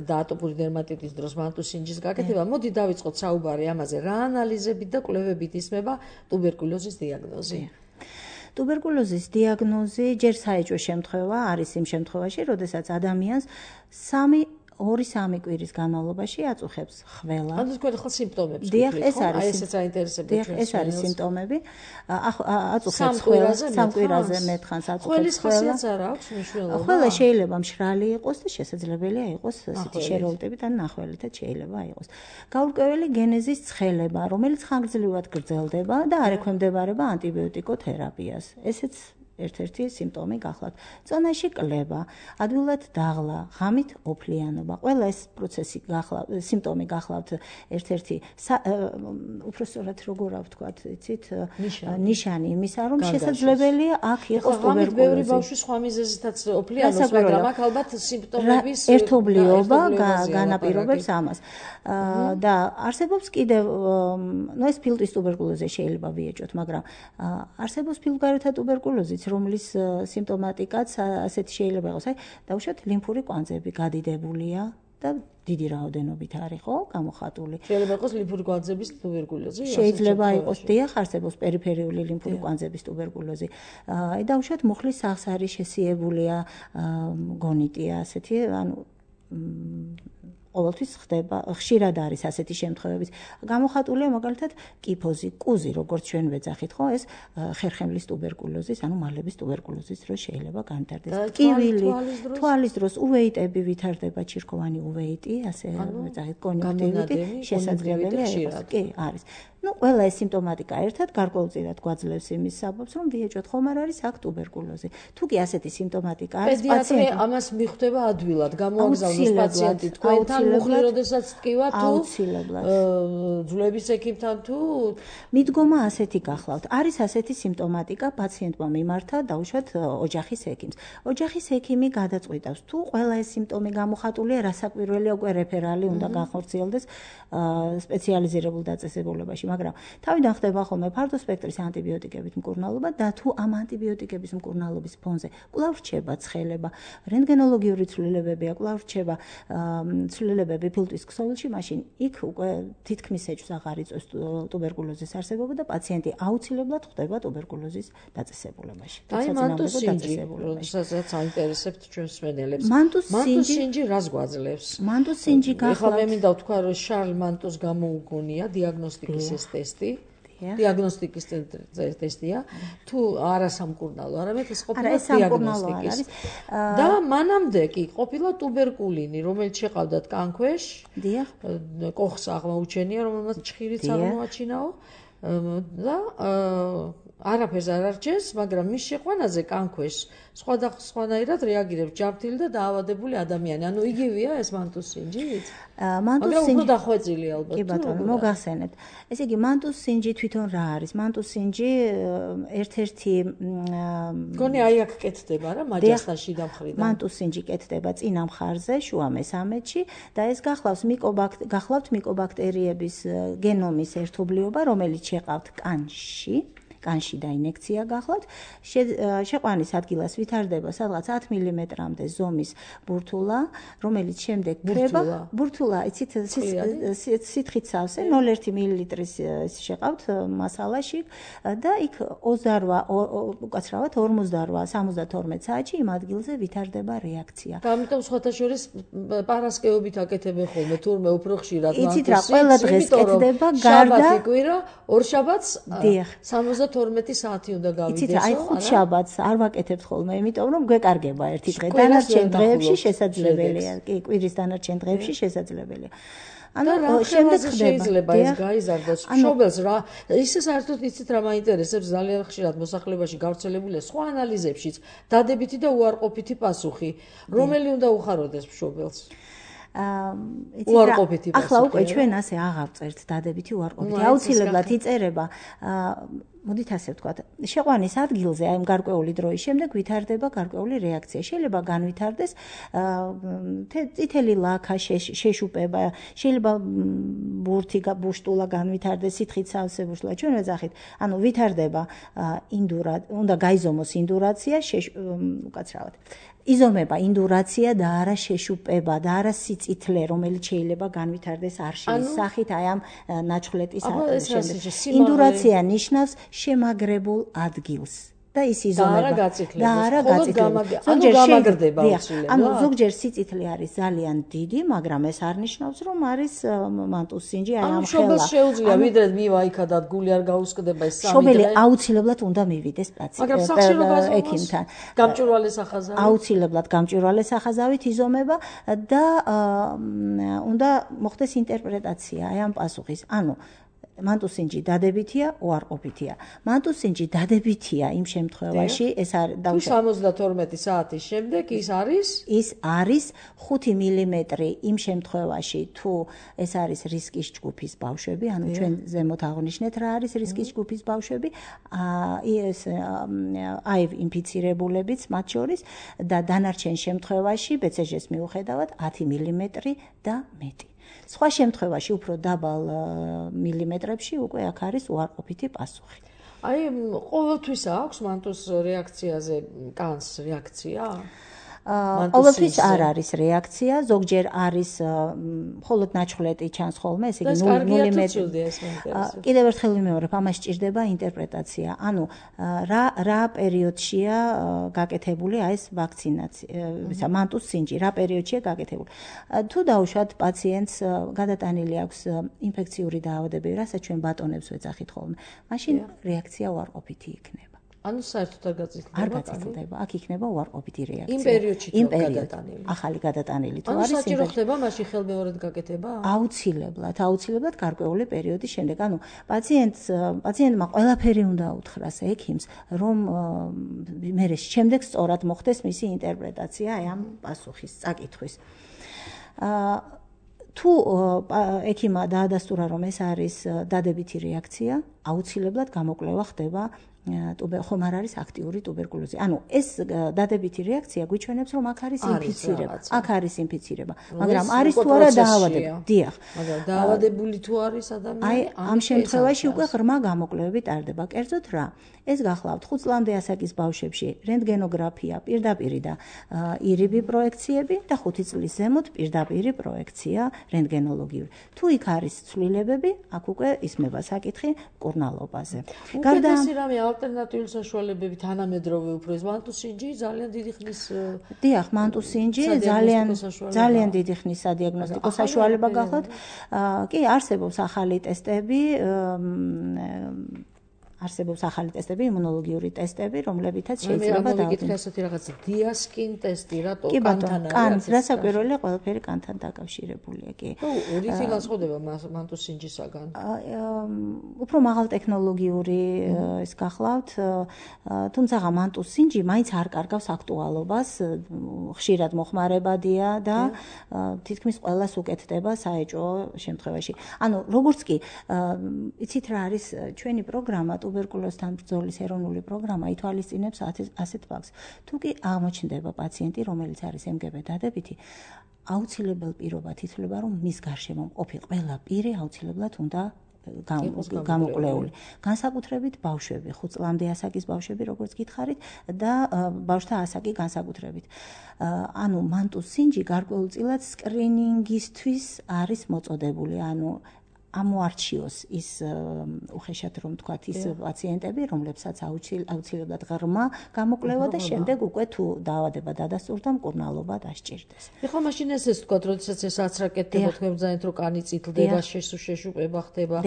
და ატოპური დერმატიტის დროს მანტუს სინჯის გაკეთება, მოდი დავიწყოთ საუბარი ამაზე, რა ანალიზებით და კვლევებით ისმება ტუბერკულოზის დიაგნოზი. ტუბერკულოზის დიაგნოზი ჯერ საეჭვო შემთხვევა არის იმ შემთხვევაში, როდესაც ადამიანს 2-3 კვირის განმავლობაში აწუხებს ხველა. ანუ თქვენ ახლა სიმპტომებს გითხრით, ხო? აი ესეც აინტერესებდა ჩვენს. ეს არის სიმპტომები. აწუხებს ხველა, 3 კვირაზე მეტხანს აწუხებს ხველა. ხველის ხასიათს არ აქვს მნიშვნელობა. ხველა შეიძლება მშრალი იყოს და შესაძლებელია იყოს ასეთი შერეულტებით ან ნახველითაც შეიძლება იყოს. გაურკვეველი გენეზის ცხელება, რომელიც ხანგრძლივად გრძელდება და არ ექვემდებარება ანტიბიოტიკოთერაპიას. ესეც ერთ-ერთი სიმპტომი გახლავთ. წონაში კლება, ადვილად დაღლა, ღამით ოფლიანობა. ყველა ეს პროცესი სიმპტომი გახლავთ ერთ-ერთი უფრო სწორად როგორ ვთქვათ, იცით, ნიშანი იმისა, რომ შესაძლებელია აქ იყოს ტუბერკულოზი. ბევრი ბავშვი სხვა მიზეზითაც ოფლიანობს, მაგრამ აქ ალბათ სიმპტომების ერთობლიობა განაპირობებს ამას. და არსებობს კიდევ, ეს ფილტვის ტუბერკულოზი შეიძლება ვიეჭოთ, მაგრამ არსებობს ფილტვგარეთა ტუბერკულოზი, რომლის სიმპტომატიკაც ასეთი შეიძლება იყოს, აი, დავუშვათ ლიმფური კვანძები გადიდებულია და დიდი რაოდენობით არის, ხო, გამოხატული. შეიძლება იყოს ლიმფური კვანძების ტუბერკულოზი? შეიძლება იყოს, დიახ, არსებობს პერიფერიული ლიმფური კვანძების ტუბერკულოზი. აი, დავუშვათ მუხლის სახლს არის შესიებულია გონიტია, ასეთი, ანუ ყოველთვის ხდება, ხშირად არის ასეთი შემთხვევები. გამოხატულია მაგალითად კიფოზი, კუზი, როგორც ჩვენ ვეძახით, ხო, ეს ხერხემლის ტუბერკულოზის, ანუ მალების ტუბერკულოზის დროს შეიძლება განვითარდეს. კივილი, თვალის დროს უვეიტები ვითარდება, ჩირქოვანი უვეიტი, ასე ვეძახით, კონიუნქტივიტი, შესაძლებელია იყოს. კი, არის. ყველა ეს სიმპტომატიკა ერთად გარკვეულწილად გვაძლევს იმის საბაბს, რომ ვიეჭვოთ ხომ არ არის აქ ტუბერკულოზი. თუ კი ასეთი სიმპტომატიკა არის, პედიატრი ამას მიხვდება ადვილად, გამოაგზავნოს პაციენტი თქვენთან, მუხლი როდესაც ტკივა თუ ძვლების ექიმთან თუ მიდგომა ასეთი გახლავთ. არის ასეთი სიმპტომატიკა, პაციენტმა მიმართა, დაუშვათ ოჯახის ექიმს. ოჯახის ექიმი გადაწყვიტავს, თუ ყველა ეს სიმპტომი გამოხატულია, რასაკვირველია უკვე რეფერალი უნდა განხორციელდეს სპეციალიზირებულ დაწესებულებაში. მაგრამ თავიდან ხდება ხოლმე ფართო სპექტრის ანტიბიოტიკებით მკურნალობა და თუ ამ ანტიბიოტიკების მკურნალობის ფონზე კვლავ რჩება ცხელება, რენტგენოლოგიური ცვლილებებია, კვლავ რჩება ცვლილებები ფილტვის ქსოვილში, მაშინ იქ უკვე თითქმის ეჭვს აღარ იწვევს ტუბერკულოზის არსებობა და პაციენტი აუცილებლად ხვდება ტუბერკულოზის დაწესებულებაში. აი მანტუს სინჯი, როდესაც აინტერესებთ ჩვენს მსმენელებს. მანტუს სინჯი რას გვაძლევს? მანტუს სინჯი გახლავთ. ეხლა მე მინდა ვთქვა, რომ შარლ მანტუს გამოუგონია დიაგნოსტიკის ეს ტესტი. დიაგნოსტიკის ტესტია. თუ არა სამკურნალო, არამედ ეს ყოფილა დიაგნოსტიკის. და მანამდე კი ყოფილა ტუბერკულინი, რომელიც შეყავდათ კანქვეშ. დიახ. კოხს აღმოუჩენია, რომელმაც ჭხირიც აღმოაჩინაო. და არაფერს არ არჩენს, მაგრამ მის შეყვანაზე კანქვეშ სხვადასხვანაირად რეაგირებს ჯანმრთელი და დაავადებული ადამიანი. ანუ იგივეა ეს მანტუს სინჯით? მანტუს სინჯი უფრო დახვეწილი ალბათ. კი ბატონო, მოგახსენებთ. ესე იგი მანტუს სინჯი თვითონ რა არის? მანტუს სინჯი ერთ-ერთი გონი აი აქ კეთდება რა, მაჯასთან შიდა მხრიდან. მანტუს სინჯი კეთდება წინა მხარზე, შუა მესამედში და ეს გახლავთ მიკობაქტერიების გენომის ერთობლიობა, რომელიც შეყავთ კანში და ინექცია გახლავთ. შეყვანის ადგილას ვითარდება სადღაც 10 მმ-მდე ზომის ბურთულა, რომელიც შემდეგ ქრება. ბურთულა, იცით, სითხით სავსე 0,1 მილილიტრის შეყავთ მასალაში და იქ 48-72 საათში იმ ადგილზე ვითარდება რეაქცია. და ამიტომ სხვათა შორის პარასკევობით აკეთებენ ხოლმე, თურმე უფრო ხშირად მანტუს. იცით რა, ყველა დღეს კეთდება გარდა შაბათი კვირა, ორ შაბათს 72 საათი უნდა გავიდეს. იცით რა, აი ხუთ შაბათს არ ვაკეთებთ ხოლმე, იმიტომ რომ გვეკარგება ერთი დღე. დანარჩენ დღეებში შესაძლებელია. კი, კვირის დანარჩენ დღეებში შესაძლებელია. ანუ შემდეგ შეიძლება ეს გაიზარდოს. მშობელს რა, ისე საერთოდ იცით რა მაინტერესებს ძალიან ხშირად მოსახლებაში გავრცელებულია სხვა ანალიზებშიც დადებითი და უარყოფითი პასუხი. რომელი უნდა უხაროდეს მშობელს? უარყოფითი პასუხი. ახლა უკვე ჩვენ ასე აღარ წერთ დადებითი უარყოფითი. აუცილებლად იწერება მოდით ასე ვთქვათ, შეყვანის ადგილზე, აი გარკვეული დროის შემდეგ ვითარდება გარკვეული რეაქცია. შეიძლება განვითარდეს წითელი ლაქა, შეშუპება, შეიძლება ბუშტულა განვითარდეს, სითხით სავსე ბუშტულა. ჩვენ ვეძახით, ანუ ვითარდება უნდა გაიზომოს ინდურაცია, უკაცრავად. იზომება ინდურაცია და არა შეშუპება და არა სიწითლე, რომელიც შეიძლება განვითარდეს არშილის სახით აი ამ ნაჩხლეტის შემდეგ. ინდურაცია ნიშნავს შემაგრებულ ადგილს. და ის იზომება და არა გაწითლება. გამაგრდება უცილებლად. ანუ ზოგჯერ სიწითლე არის ძალიან დიდი, მაგრამ ეს არ ნიშნავს, რომ არის მანტუს სინჯი აი ამ ხელა. მშობელს შეუძლია ვიდრე მივა იქადა გული არ გაუსკდება ეს 3 დღე. მშობელი აუცილებლად უნდა მივიდეს ექიმთან. გამჭვირვალე სახაზავით. აუცილებლად გამჭვირვალე სახაზავით იზომება და უნდა მოხდეს ინტერპრეტაცია აი ამ პასუხის. ანუ მანტუს სინჯი დადებითია, უარყოფითია. მანტუს სინჯი დადებითია იმ შემთხვევაში, ეს არის თუ 72 საათის შემდეგ ის არის 5 მმ იმ შემთხვევაში, თუ ეს არის რისკის ჯგუფის ბავშვები, ანუ ჩვენ ზემოთ აღვნიშნეთ რა არის რისკის ჯგუფის ბავშვები, ეს აივ ინფიცირებულებიც მათ შორის და დანარჩენ შემთხვევაში BCG-ს მიუხედავად 10 მმ და მეტი. სხვა შემთხვევაში უფრო დაბალ მილიმეტრებში უკვე აქ არის უარყოფითი პასუხი. აი ყოველთვის აქვს მანტუს რეაქციაზე კანს რეაქცია? ყოველთვის არ არის რეაქცია, ზოგჯერ არის მხოლოდ ნაჩხლეტი ჩანს ხოლმე, ესე იგი 0 მმ. კიდევ ერთხელ ვიმეორებ, ამას სჭირდება ინტერპრეტაცია. ანუ რა პერიოდშია გაკეთებული აი ეს ვაქცინაცია, მანტუს სინჯი, რა პერიოდშია გაკეთებული. თუ დაუშვათ პაციენტს გადატანილი აქვს ინფექციური დაავადებები, რასაც ჩვენ ბატონებს ვეძახით ხოლმე, მაშინ რეაქცია უარყოფითი იქნება. ანუ საერთოდ არ გაწითლდება. არ გაწითლდება, აქ იქნება უარყოფითი რეაქცია. იმ პერიოდში თუ გადატანილი. ახალი გადატანილი თუ არის. ანუ საჭირო ხდება მაშინ ხელმეორედ გაკეთება? აუცილებლად გარკვეული პერიოდის შემდეგ. ანუ პაციენტმა ყველაფერი უნდა უთხრას ექიმს, რომ მე შემდეგ სწორად მოხდეს მისი ინტერპრეტაცია აი ამ პასუხის წაკითხვის. თუ ექიმმა დაადასტურა, რომ ეს არის დადებითი რეაქცია, აუცილებლად გამოკვლევა ხდება ხომ არ არის აქტიური ტუბერკულოზი. ანუ ეს დადებითი რეაქცია გვიჩვენებს, რომ აქ არის ინფიცირება. მაგრამ არის თუ არა დაავადება. დიახ. მაგრამ დაავადებული თუ არის ადამიანი, აი ამ შემთხვევაში უკვე ღრმა გამოკვლევები ტარდება. კერძოდ რა? ეს გახლავთ 5 წლამდე ასაკის ბავშვებში რენტგენოგრაფია პირდაპირი და ირიბი პროექციები და 5 წლის ზემოთ პირდაპირი პროექცია რენტგენოლოგიური. თუ იქ არის ცვლილებები, აქ უკვე ისმება საკითხი მკურნალობაზე. გარდა ამისა, რამე ალტერნატიული საშუალებები თანამედროვე უფრო ეს მანტუსინჯი ძალიან დიდი ხნის დიახ, მანტუსინჯი ძალიან დიდი ხნის სადიაგნოსტიკო საშუალება გახლავთ. კი, არსებობს ახალი ტესტები, იმუნოლოგიური ტესტები, რომლებითაც შეიძლება დავიკითხე ასეთი რაღაც დიასკინ ტესტი, რატო კანთან არის? რასაკვირველია, ყველაფერი კანთან დაკავშირებულია, კი. რითი განსხვავდება მანტუსინჯისაგან? უფრო მაღალ ტექნოლოგიური ის გახლავთ, თუმცა მანტუსინჯი მაინც არ კარგავს აქტუალობას, ხშირად მოხმარებადია და თითქმის ყველას უკეთდება საეჭვო შემთხვევაში. ანუ როგორც კი, იცით რა არის ჩვენი პროგრამა ტუბერკულოზთან ბრძოლის ეროვნული პროგრამა ითვალისწინებს ასეთ ფაქტს. თუ კი აღმოჩნდება პაციენტი, რომელიც არის MGB დადებითი, აუცილებელ პირობად ითვლება, რომ მის გარშემო მყოფი ყველა პირი აუცილებლად უნდა გამოკვლეული. განსაკუთრებით ბავშვები, 5 წლამდე ასაკის ბავშვები, როგორც გითხარით, და ბავშვთა ასაკი განსაკუთრებით. ანუ მანტუსინჯი გარკვეულწილად სკრინინგისთვის არის მოწოდებული, ანუ ამოარჩიოს ის უხეშად რომ თქვათ ის პაციენტები, რომლებსაც აუცილებლად ღრმა გამოკვლევა და შემდეგ უკვე თუ დაავადება დადასტურდა, მკურნალობა დასჭირდეს. ეხლა მაშინ ეს თქვათ, როდესაც ეს აცრაკეთდება, თქვენ რომ კანი წითლდება, შეშუპება ხდება,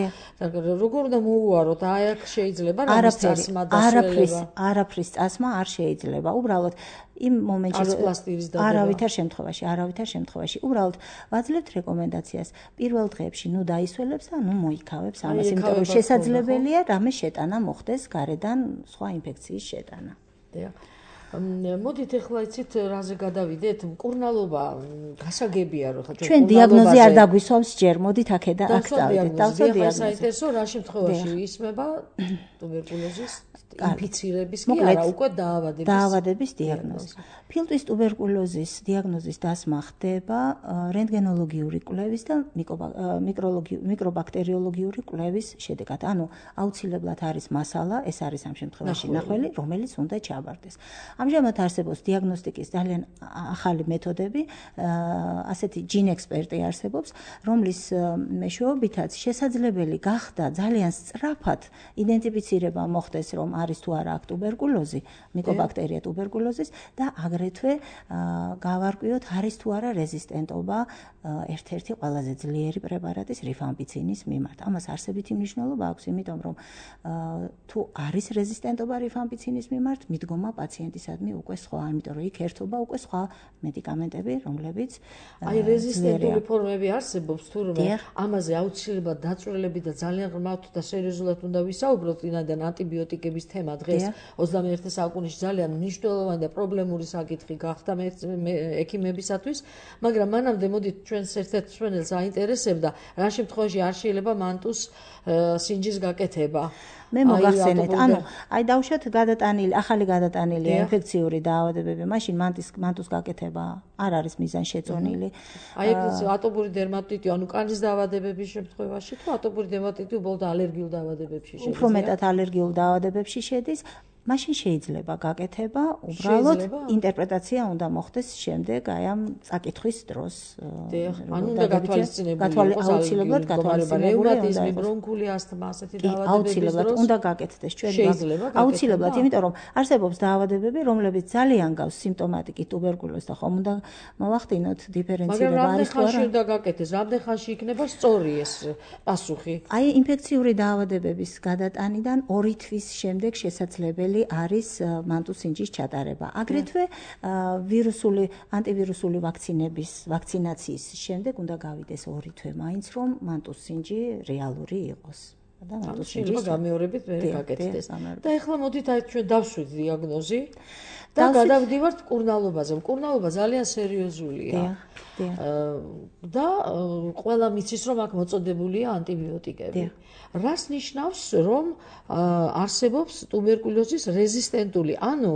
როგორ უნდა მოუაროთ? აი აქ შეიძლება რამის წასმა დასველება? არაფრის წასმა არ შეიძლება. უბრალოდ იმ მომენტში არავითარ შემთხვევაში უბრალოდ ვაძლევთ რეკომენდაციას პირველ დღეებში ნუ დაისველებს და ნუ მოიქავებს ამას, იმიტომ რომ შესაძლებელია რამე შეტანა მოხდეს გარედან სხვა ინფექციის შეტანა. მოდით ეხლა იცით რაზე გადავიდეთ? მკურნალობა გასაგებია რომ ჩვენ დიაგნოზი არ დაგვისვამს ჯერ, მოდით აქედან აქ დავიდეთ. დავსვათ დიაგნოზი. საინტერესო რა შემთხვევაში ისმება ტუბერკულოზის ინფიცირების კი არა, უკვე დაავადების დიაგნოზი. ფილტვის ტუბერკულოზის დიაგნოზის დასმა ხდება რენტგენოლოგიური კვლევის და მიკრობაქტერიოლოგიური კვლევის შედეგად. ანუ აუცილებლად არის მასალა, ეს არის ამ შემთხვევაში ნახველი, რომელიც უნდა ჩაბარდეს. ამჟამად არსებობს დიაგნოსტიკის ძალიან ახალი მეთოდები, ასეთი ჯინ ექსპერტი არსებობს, რომლის მეშვეობითაც შესაძლებელი გახდა ძალიან სწრაფად იდენტიფიცირება მოხდეს, რომ არის თუ არა აქ ტუბერკულოზი, მიკობაქტერია ტუბერკულოზის და აგრეთვე გავარკვიოთ, არის თუ არა რეზისტენტობა ერთ-ერთი ყველაზე ძლიერი პრეპარატის რიფამპიცინის მიმართ. ამას არსებითი მნიშვნელობა აქვს, იმიტომ რომ თუ არის რეზისტენტობა რიფამპიცინის მიმართ, მიდგომა პაციენტისადმი უკვე სხვა, იმიტომ რომ იქ ერთობა უკვე სხვა მედიკამენტები, რომლებიც აი რეზისტენტური ფორმები არსებობს, თურმე ამაზე აუცილებლად დაწვრილებით და ძალიან ღრმავთ და სერიოზულად უნდა ვისაუბროთ, ვინაიდან ანტიბიოტიკების თემა დღეს 21 საუკუნეში ძალიან მნიშვნელოვანი და პრობლემური საკითხი გახდა ექიმებისათვის, მაგრამ მანამდე მოდით ჩვენს ერთ-ერთ მსმენელს აინტერესებდა, რა შემთხვევაში არ შეიძლება მანტუს სინჯის გაკეთება. მე მოგახსენეთ, ანუ აი დავუშვათ ახალი გადატანილი ინფექციური დაავადებები, მაშინ მანტუს გაკეთება არ არის მიზანშეწონილი. აი ეს ატოპური დერმატიტი, ანუ კანის დაავადებების შემთხვევაში თუ ატოპური დერმატიტი უბრალოდ ალერგიულ დაავადებებში შედის? უფრო მეტად ალერგიულ დაავადებებში შედის. მაშინ შეიძლება გაკეთება, უბრალოდ ინტერპრეტაცია უნდა მოხდეს შემდეგ აი ამ წაკითხვის დროს. ანუ უნდა გათვალისწინებული იყოს აუცილებლად რეუმატიზმი, ბრონქული ასთმა, ასეთი დაავადებების აუცილებლად უნდა გაკეთდეს ჩვენ აუცილებლად, იმიტომ რომ არსებობს დაავადებები, რომლებიც ძალიან გავს სიმპტომატიკი ტუბერკულოზს და ხომ უნდა მოვახდინოთ დიფერენცირება არის თუ არა. მაგრამ რამდენ ხანში უნდა გაკეთდეს? რამდენ ხანში იქნება სწორი ეს პასუხი? აი ინფექციური დაავადებების გადატანიდან 2 თვის შემდეგ შესაძლებელი არის მანტუსინჯის ჩატარება. აგრეთვე ანტივირუსული ვაქცინაციის შემდეგ უნდა გავიდეს 2 თვე მაინც, რომ მანტუსინჯი რეალური იყოს. და მანტუს შეიძლება გამეორებით მე გაკეთდეს. და ეხლა მოდით აი ჩვენ დავშვით დიაგნოზი და გადავდივართ მკურნალობაზე. მკურნალობა ძალიან სერიოზულია. და ყველა მიცის რომ აქ მოწოდებულია ანტიბიოტიკები. რას ნიშნავს რომ არსებობს ტუბერკულოზის რეზისტენტული, ანუ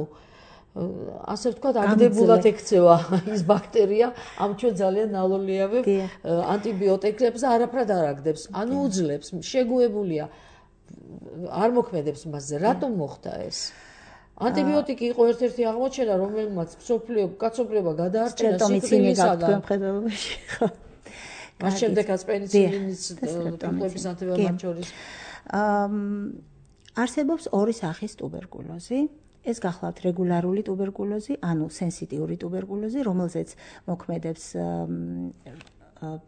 ასე ვთქვათ, აგდებულად ექცევა ის ბაქტერია ამ ჩვენ ძალიან ნალოლიავებ ანტიბიოტიკებს და არაფრად არ აგდებს. ანუ უძლებს, შეგუებულია, არ მოქმედებს მასზე. რატომ მოხდა ეს? ანტიბიოტიკი იყო ერთ-ერთი აღმოჩენა, რომელმაც მსოფლიო კაცობრიობა გადაარჩინა სიკვდილისაგან. მას შემდეგაც პენიცილინის ტიპების ანტიბიოტიკების შორის. არსებობს ორი სახის ტუბერკულოზი. ეს გახლავთ რეგულარული ტუბერკულოზი, ანუ სენსიტიური ტუბერკულოზი, რომელზეც მოქმედებს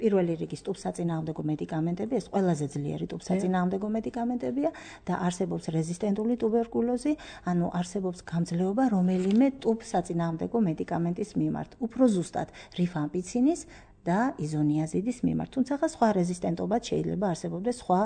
პირველი რიგის ტუბსაწინააღმდეგო მედიკამენტები, ეს ყველაზე ძლიერი ტუბსაწინააღმდეგო მედიკამენტებია და არსებობს რეზისტენტული ტუბერკულოზი, ანუ არსებობს გამძლეობა რომელიმე ტუბსაწინააღმდეგო მედიკამენტის მიმართ, უფრო ზუსტად რიფამპიცინის და იზონიაზიდის მიმართ. თუმცა სხვა რეზისტენტობაც შეიძლება არსებობდეს სხვა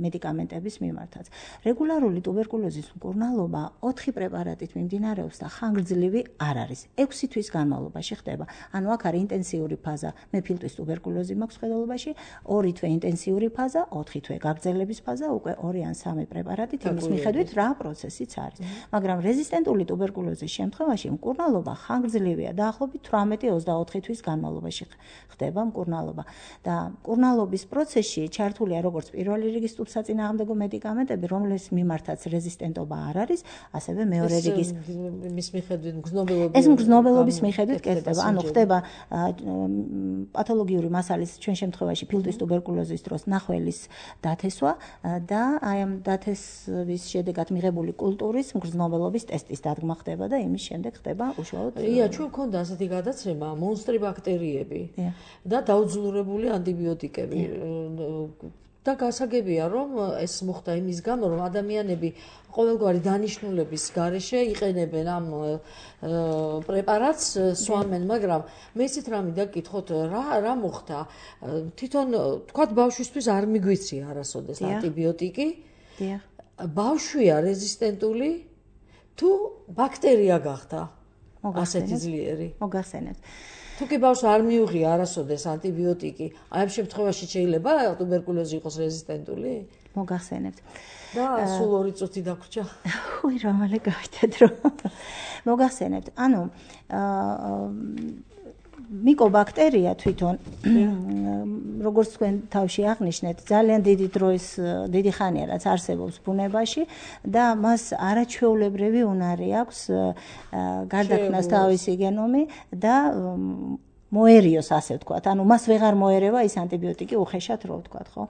მედიკამენტების მიმართაც. რეგულარული ტუბერკულოზის მკურნალობა 4 პრეპარატით მიმდინარეობს და ხანგრძლივი არ არის. 6 თვის განმავლობაში ხდება. ანუ აქ არის ინტენსიური ფაზა, მე ფილტვის ტუბერკულოზი მაქვს ხედელობაში, 2 თვე ინტენსიური ფაზა, 4 თვე გაგრძელების ფაზა, უკვე 2 ან 3 პრეპარატით იმის მიხედვით რა პროცესიც არის. მაგრამ რეზისტენტული ტუბერკულოზის შემთხვევაში მკურნალობა ხანგრძლივია, დაახლოებით 18-24 თვის განმავლობაში ხდება მკურნალობა და მკურნალობის პროცესში ჩართულია როგორც პირველი რიგის ტუბსაწინააღმდეგო მედიკამენტები, რომლის მიმართაც რეზისტენტობა არ არის, ასევე მეორე რიგის მის მიხედვით მგრძნობელობის ეს მგრძნობელობის მიხედვით კეთდება. ანუ ხდება პათოლოგიური მასალის ჩვენ შემთხვევაში ფილტვის ტუბერკულოზის დროს ნახველის დათესვა და აი ამ დათესვის შედეგად მიღებული კულტურის მგრძნობელობის ტესტის დადგმა ხდება და იმის შემდეგ ხდება უშუალოდ ჩვენ გვქონდა ასეთი გადაცემა მონსტრი ბაქტერიები და დაუძლურებული ანტიბიოტიკები და გასაგებია რომ ეს მოხდა იმის გამო რომ ადამიანები ყოველგვარი დანიშნულების გარეშე იყენებენ ამ პრეპარატს სვამენ, მაგრამ მე ისეთ რამე დაგკითხოთ რა მოხდა თვითონ თქვათ ბავშვისთვის არ მიგვიცია არასოდეს ანტიბიოტიკი ბავშვია რეზისტენტული თუ ბაქტერია გახდა ასეთი ძლიერი მოგახსენებთ თუ კი ბავშვს არ მიუღია არასოდეს ანტიბიოტიკი, აი ამ შემთხვევაში შეიძლება ტუბერკულოზი იყოს რეზისტენტული? მოგახსენებთ. და სულ 2 წუთი დაგვრჩა. უი, რომელი გავიტეთ რომ მოგახსენებთ. ანუ მიკობაქტერია თვითონ როგორც თქვენ თავში აღნიშნეთ, ძალიან დიდი ხანია რაც არსებობს ბუნებაში და მას არაჩვეულებრივი უნარი აქვს გარდაქმნას თავისი გენომი და მოერიოს ასე ვთქვათ. ანუ მას ვეღარ მოერევა ის ანტიბიოტიკი უხეშად რო ვთქვათ, ხო?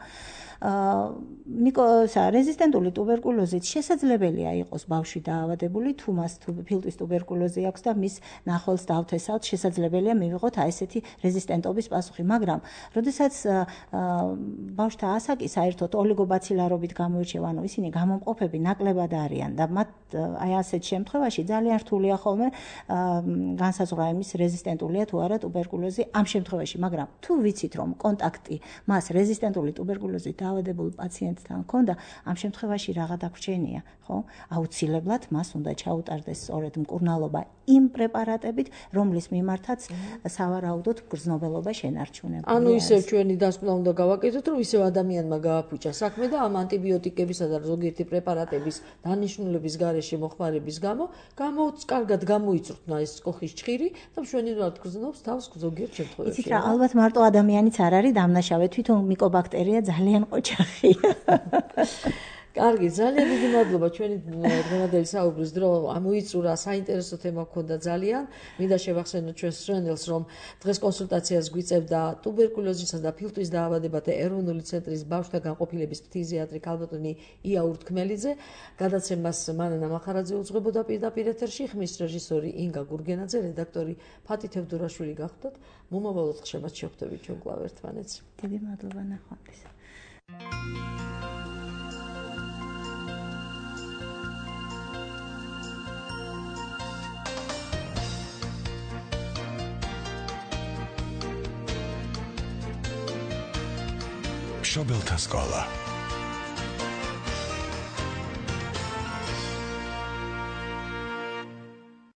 რეზისტენტული ტუბერკულოზით შესაძლებელია იყოს ბავშვი დაავადებული, თუ მას ფილტვის ტუბერკულოზი აქვს და მის ნახველს დავთესავთ, შესაძლებელია მივიღოთ აი ესეთი რეზისტენტობის პასუხი, მაგრამ როდესაც ბავშვთა ასაკი საერთოდ ოლიგობაცილარობით გამოირჩევა, ანუ ისინი გამომყოფები ნაკლებად არიან და მათ აი ასეთ შემთხვევაში ძალიან რთულია ხოლმე განსაზღვრა იმის რეზისტენტულია თუ არა ტუბერკულოზი ამ შემთხვევაში, მაგრამ თუ ვიცით რომ კონტაქტი მას რეზისტენტული ტუბერკულოზით დაავადებულ პაციენტთან ჰქონდა, ამ შემთხვევაში რაღა დაგვრჩენია, ხო? აუცილებლად მას უნდა ჩაუტარდეს სწორედ მკურნალობა იმ პრეპარატებით, რომლის მიმართაც სავარაუდოდ მგრძნობელობა შენარჩუნებულია. ანუ ისევ ჩვენი დასკვნა უნდა გავაკეთოთ, რომ ისევ ადამიანმა გააფუჭა საქმე და ამ ანტიბიოტიკებისა და ზოგიერთი პრეპარატების დანიშნულების გარეშე მოხმარების გამო კარგად გამოიწვრთნა ეს კოხის ჭხირი და მშვენივრად გრძნობს თავს ზოგიერთ შემთხვევაში. იცით რა, ალბათ მარტო ადამიანიც არ არის დამნაშავე, თვითონ მიკობაქტერია ძალიან ოჯახია. კარგი, ძალიან დიდი მადლობა ჩვენი დღევანდელი საუბრის დრო ამოიწურა, საინტერესო თემა გქონდა ძალიან. მინდა შევახსენოთ ჩვენს მსმენელს, რომ დღეს კონსულტაციას გვიწევდა ტუბერკულოზისა და ფილტვის დაავადებათა ეროვნული ცენტრის ბავშვთა განყოფილების ფთიზიატრი ქალბატონი ია ურთქმელიძე. გადაცემას მანანა მახარაძე უძღვებოდა პირდაპირ ეთერში, ხმის რეჟისორი ინგა გურგენაძე, redaktori ფათი თევდურაშვილი გახდათ. მომავალ ოთხშაბათს შევხვდებით ჩვენ კვლავ ერთმანეთს. დიდი მადლობა ნახვამდის. შობელთა სკოლა